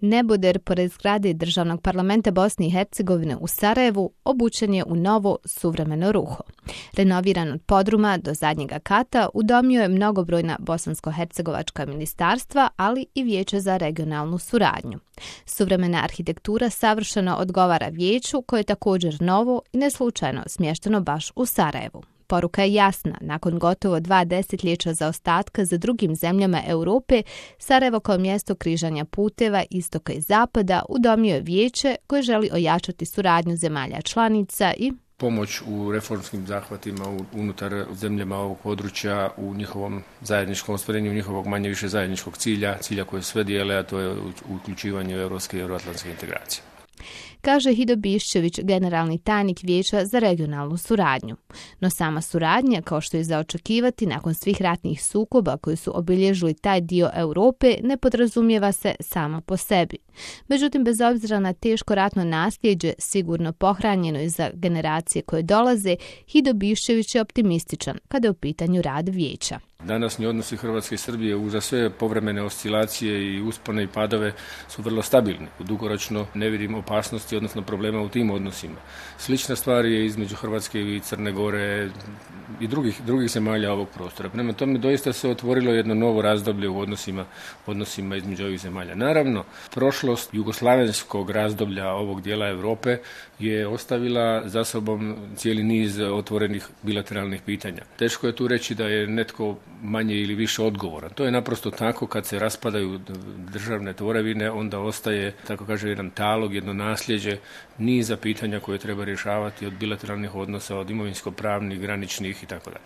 Neboder pored zgrade Državnog parlamenta Bosne i Hercegovine u Sarajevu obučen je u novo suvremeno ruho. Renoviran od podruma do zadnjega kata udomio je mnogobrojna bosansko-hercegovačka ministarstva, ali i Vijeće za regionalnu suradnju. Suvremena arhitektura savršeno odgovara vijeću, koje je također novo i neslučajno smješteno baš u Sarajevu. Poruka je jasna, nakon gotovo 2 desetljeća zaostatka za drugim zemljama Europe, Sarajevo kao mjesto križanja puteva istoka i zapada udomio je vijeće koje želi ojačati suradnju zemalja članica i pomoć u reformskim zahvatima unutar zemljama ovog područja u njihovom zajedničkom ostvarenju njihovog manje više zajedničkog cilja koje sve dijele, a to je uključivanje u europske i euroatlantske integracije. Kaže Hido Biščević, generalni tajnik Vijeća za regionalnu suradnju. No sama suradnja, kao što je za očekivati nakon svih ratnih sukoba koji su obilježili taj dio Europe, ne podrazumijeva se sama po sebi. Međutim, bez obzira na teško ratno nasljeđe, sigurno pohranjeno i za generacije koje dolaze, Hido Biščević je optimističan kada je u pitanju rad Vijeća. Današnji odnosi Hrvatske i Srbije uza sve povremene oscilacije i uspone i padove su vrlo stabilni. Dugoročno ne vidim opasnosti, odnosno problema u tim odnosima. Slična stvar je između Hrvatske i Crne Gore i drugih zemalja ovog prostora. Prema tome doista se otvorilo jedno novo razdoblje u odnosima između ovih zemalja. Naravno, prošlost jugoslavenskog razdoblja ovog dijela Europe je ostavila za sobom cijeli niz otvorenih bilateralnih pitanja. Teško je tu reći da je netko manje ili više odgovoran. To je naprosto tako, kad se raspadaju državne tvorevine, onda ostaje, tako kaže, jedan talog, jedno nasljeđe, niza pitanja koje treba rješavati od bilateralnih odnosa, od imovinsko-pravnih, graničnih itd.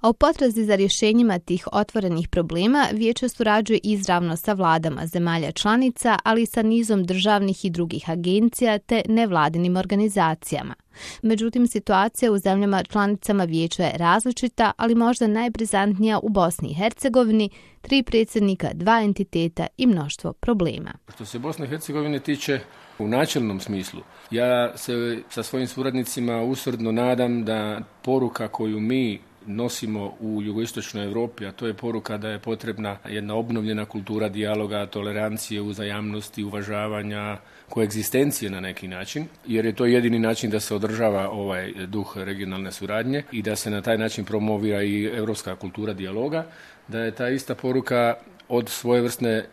A u potrazi za rješenjima tih otvorenih problema Vijeće surađuje izravno sa vladama zemalja članica, ali i sa nizom državnih i drugih agencija te nevladinim organizacijama. Međutim, situacija u zemljama članicama Vijeća je različita, ali možda najprizantnija u Bosni i Hercegovini, 3 predsjednika, 2 entiteta i mnoštvo problema. Što se Bosne i Hercegovine tiče, u načelnom smislu, ja se sa svojim suradnicima usrdno nadam da poruka koju mi nosimo u jugoistočnoj Europi, a to je poruka da je potrebna jedna obnovljena kultura dijaloga, tolerancije, uzajamnosti, uvažavanja, koegzistencije na neki način, jer je to jedini način da se održava ovaj duh regionalne suradnje i da se na taj način promovira i europska kultura dijaloga, da je ta ista poruka od svojevrsne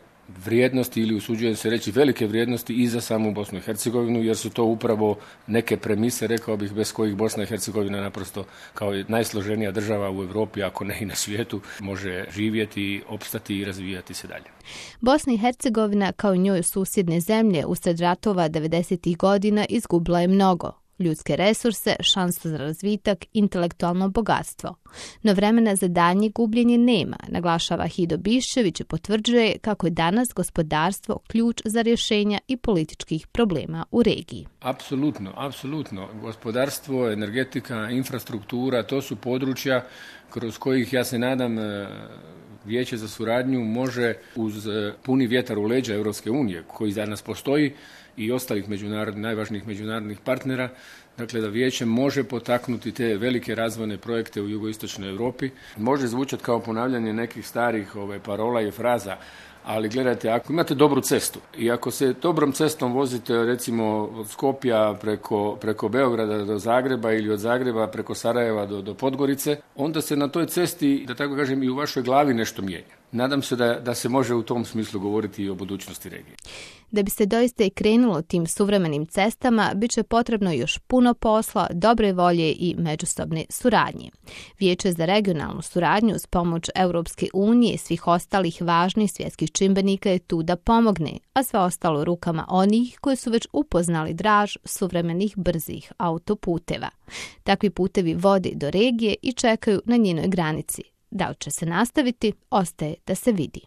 vrijednosti ili usuđujem se reći velike vrijednosti i za samu Bosnu i Hercegovinu, jer su to upravo neke premise, rekao bih, bez kojih Bosna i Hercegovina naprosto kao najsloženija država u Europi, ako ne i na svijetu, može živjeti, opstati i razvijati se dalje. Bosna i Hercegovina, kao i njoj susjedne zemlje, usred ratova 90. godina izgubila je mnogo. Ljudske resurse, šansu za razvitak, intelektualno bogatstvo. No vremena za daljnje gubljenje nema, naglašava Hido Biščević i potvrđuje kako je danas gospodarstvo ključ za rješenja i političkih problema u regiji. Apsolutno. Gospodarstvo, energetika, infrastruktura, to su područja kroz kojih, ja se nadam, Vijeće za suradnju može uz puni vjetar u leđa Europske unije, koji danas postoji, i ostalih najvažnijih međunarodnih partnera, dakle da Vijeće može potaknuti te velike razvojne projekte u jugoistočnoj Europi. Može zvučati kao ponavljanje nekih starih parola i fraza, ali gledajte, ako imate dobru cestu i ako se dobrom cestom vozite recimo od Skopja preko Beograda do Zagreba ili od Zagreba preko Sarajeva do Podgorice, onda se na toj cesti, da tako kažem, i u vašoj glavi nešto mijenja. Nadam se da se može u tom smislu govoriti i o budućnosti regije. Da bi se doista i krenulo tim suvremenim cestama, bit će potrebno još puno posla, dobre volje i međusobne suradnje. Vijeće za regionalnu suradnju s pomoć Europske unije i svih ostalih važnih svjetskih čimbenika je tu da pomogne, a sve ostalo rukama onih koji su već upoznali draž suvremenih brzih autoputeva. Takvi putevi vode do regije i čekaju na njenoj granici. Da li će se nastaviti, ostaje da se vidi.